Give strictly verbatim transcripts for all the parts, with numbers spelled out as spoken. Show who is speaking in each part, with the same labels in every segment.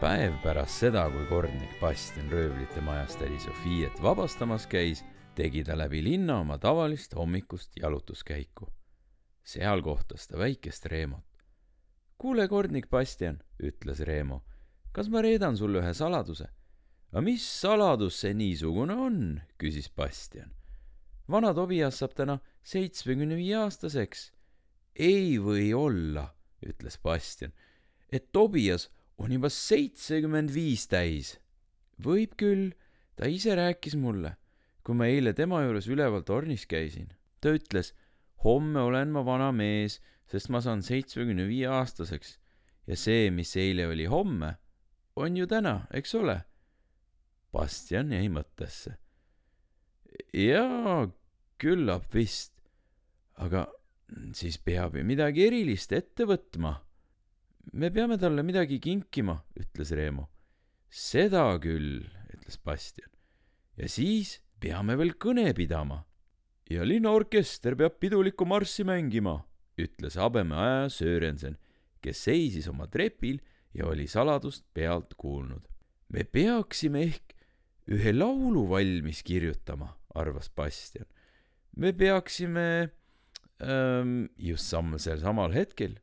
Speaker 1: Päev pärast seda, kui kordnik Bastian röövlite majast tädi Sofiet vabastamas käis, tegi ta läbi linna oma tavalist hommikust jalutuskäiku. Seal kohtas ta väikest Reemot. Kuule, kordnik Bastian, ütles Reemo, kas ma reedan sulle ühe saladuse? A mis saladus see niisugune on, küsis Bastian. Vana Tobias saab täna seitsmekümne viie aastaseks. Ei või olla, ütles Bastian, et Tobias on juba seitsekümmend viis täis. Võib küll, ta ise rääkis mulle, kui ma eile tema juures üleval tornis käisin. Ta ütles, homme olen ma vana mees, sest ma saan seitsmekümne viie aastaseks ja see, mis eile oli homme, on ju täna, eks ole? Bastian jäi mõttesse. Jaa, küllap vist, aga siis peab ju midagi erilist ette võtma. Me peame talle midagi kinkima, ütles Reemo. Seda küll, ütles Bastian. Ja siis peame veel kõne pidama. Ja linnaorkester peab pidulikku marssi mängima, ütles Habemeaja Sörensen, kes seisis oma trepil ja oli saladust pealt kuulnud. Me peaksime ehk ühe laulu valmis kirjutama, arvas Bastian. Me peaksime ähm, just samm sel samal hetkel.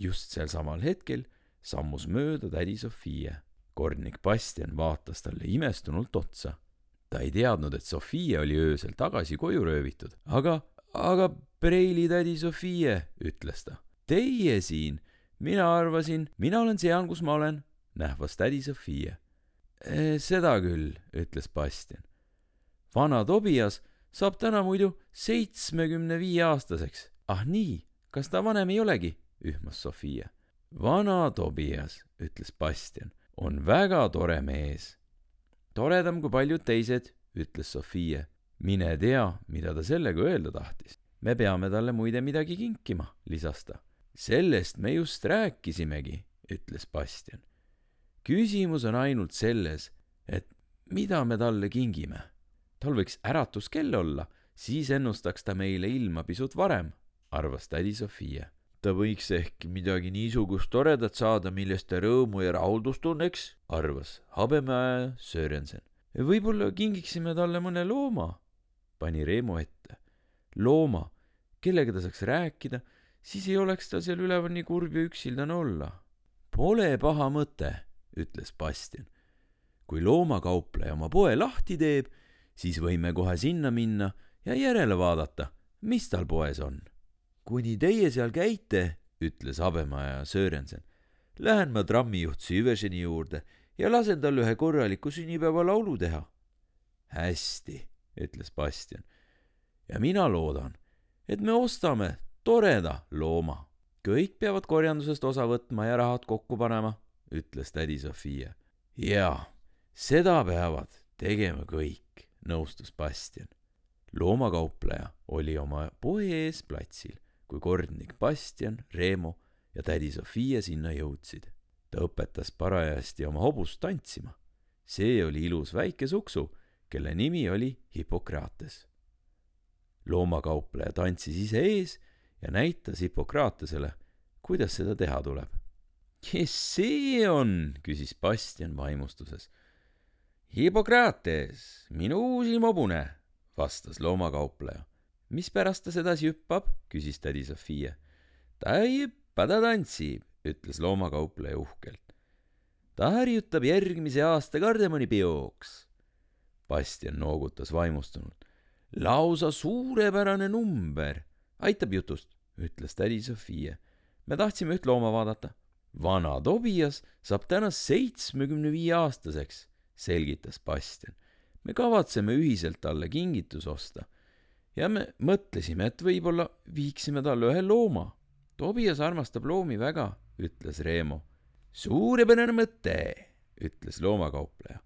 Speaker 1: Just sel samal hetkel sammus mööda tädi Sofie. Kordnik Bastian vaatas talle imestunult otsa. Ta ei teadnud, et Sofie oli öösel tagasi koju röövitud. Aga, aga preili tädi Sofie, ütles ta. Teie siin, mina arvasin, mina olen seal, kus ma olen, nähvas tädi Sofie. E, seda küll, ütles Bastian. Vana Tobias saab täna muidu seitsmekümne viie aastaseks. Ah nii, kas ta vanem ei olegi? Ühmas Sofie. Vana Tobias, ütles Bastian, on väga tore mees. Toredam kui paljud teised, ütles Sofie. Mine tea, mida ta sellega öelda tahtis. Me peame talle muide midagi kinkima, lisas ta. Sellest me just rääkisimegi, ütles Bastian. Küsimus on ainult selles, et mida me talle kingime. Tal võiks äratuskell olla, siis ennustaks ta meile ilma pisut varem, arvas tädi Sofie. Ta võiks ehk midagi niisugust toredat saada, millest ta rõõmu ja rahuldust tunneks, arvas Habemeaja Sörensen. Võib-olla kingiksime talle mõne looma, pani Reemo ette. Looma, kellega ta saaks rääkida, siis ei oleks ta seal üleval nii kurb ja üksildane olla. Pole paha mõte, ütles Bastian. Kui loomakaupleja oma poe lahti teeb, siis võime kohe sinna minna ja järele vaadata, mis tal poes on. Kuni teie seal käite, ütles Habemeaja Sörensen, lähen ma trammijuht Süverseni juurde ja lasen tal ühe korraliku sünnipäeva laulu teha. Hästi, ütles Bastian. Ja mina loodan, et me ostame toreda looma. Kõik peavad korjandusest osa võtma ja rahad kokku panema, ütles tädi Sofie. Jaa, seda peavad tegema kõik, nõustus Bastian. Loomakaupleja oli oma poe ees platsil, kui kordnik Bastian, Reemo ja tädi Sofie sinna jõudsid. Ta õpetas parajasti oma hobust tantsima. See oli ilus väike suksu, kelle nimi oli Hippokrates. Loomakaupleja tantsis ise ees ja näitas Hippokratesele, kuidas seda teha tuleb. Kes see on, küsis Bastian vaimustuses. Hippokrates, minu uusim hobune, vastas loomakaupleja. Mis pärast ta sedasi hüppab, küsis tädi Sofie. Ta ei hüppa, ta tantsib, ütles loomakaupleja uhkelt. Ta harjutab järgmise aasta kardemonipeoks. Bastian noogutas vaimustunult. Lausa suurepärane number. Aitab jutust, ütles tädi Sofie. Me tahtsime üht looma vaadata. Vana Tobias saab täna seitsmekümne viie aastaseks, selgitas Bastian. Me kavatseme ühiselt talle kingitus osta. Ja me mõtlesime, et võib-olla viiksime talle ühe looma. Tobias armastab loomi väga, ütles Reemo. Suurepärane mõte, ütles loomakaupleja.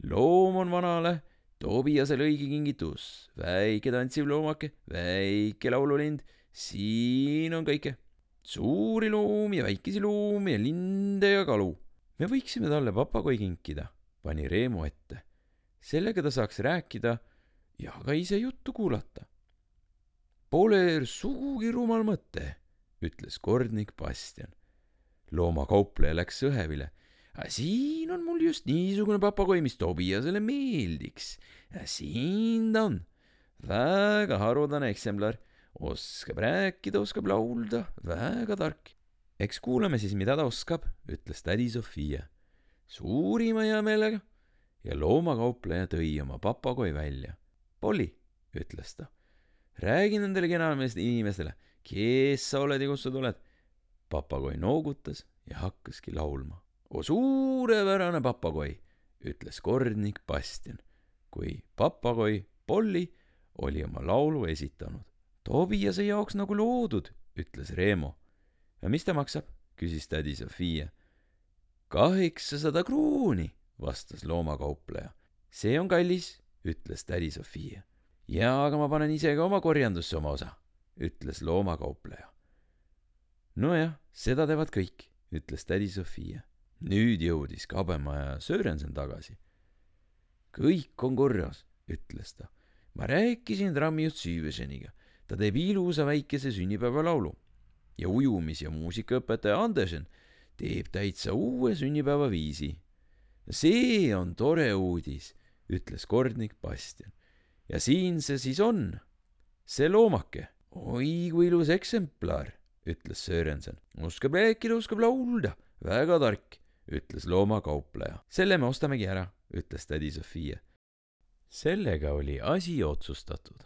Speaker 1: Loom on vanale, Tobiasele õige kingitus. Väike tantsiv loomake, väike laululind, siin on kõike. Suuri loomi ja väikesi loomi ja linde ja kalu. Me võiksime talle papagoi kinkida, pani Reemo ette. Sellega ta saaks rääkida ja ka ise juttu kuulata. Pole sugugi rumal mõte, ütles kordnik Bastian. Loomakaupleja läks sõhevile. siin on mul just niisugune papagoi, mis Tobiasele meeldiks. siin ta on. väga haruldane eksemplar. oskab rääkida, oskab laulda, väga tark. eks kuulame siis, mida ta oskab, ütles tädi Sofia. suurima hea meelega. ja loomakaupleja tõi oma papagoi välja. Polly, ütles ta, räägi nendele kenameeste inimestele, kes sa oled ja kust sa tuled. Papagoi noogutas ja hakkaski laulma. O suurepärane papagoi, ütles kordnik Bastian, kui papagoi Polly oli oma laulu esitanud. Tobiase jaoks nagu loodud, ütles Reemo. ja mis ta maksab, küsis tädi Sofia. kaheksasada krooni, vastas loomakaupleja. see on kallis, ütles tädi Sofia. jaa, aga ma panen ise ka oma korjandusse oma osa, ütles loomakaupleja. nojah, seda teevad kõik, ütles tädi Sofia. nüüd jõudis Kabemaja Sörensen tagasi. kõik on korras, ütles ta. ma rääkisin trammijuht Süüveseniga. ta teeb ilusa väikese sünnipäevalaulu. ja ujumis- ja muusikaõpetaja Andersen teeb täitsa uue sünnipäevaviisi. see on tore uudis, ütles kordnik Bastian. ja siin see siis on, see loomake. oi, kui ilus eksemplar, ütles Sörensen. oskab rääkida, oskab laulda, väga tark, ütles loomakaupleja. selle me ostamegi ära, ütles tädi Sofia. sellega oli asi otsustatud.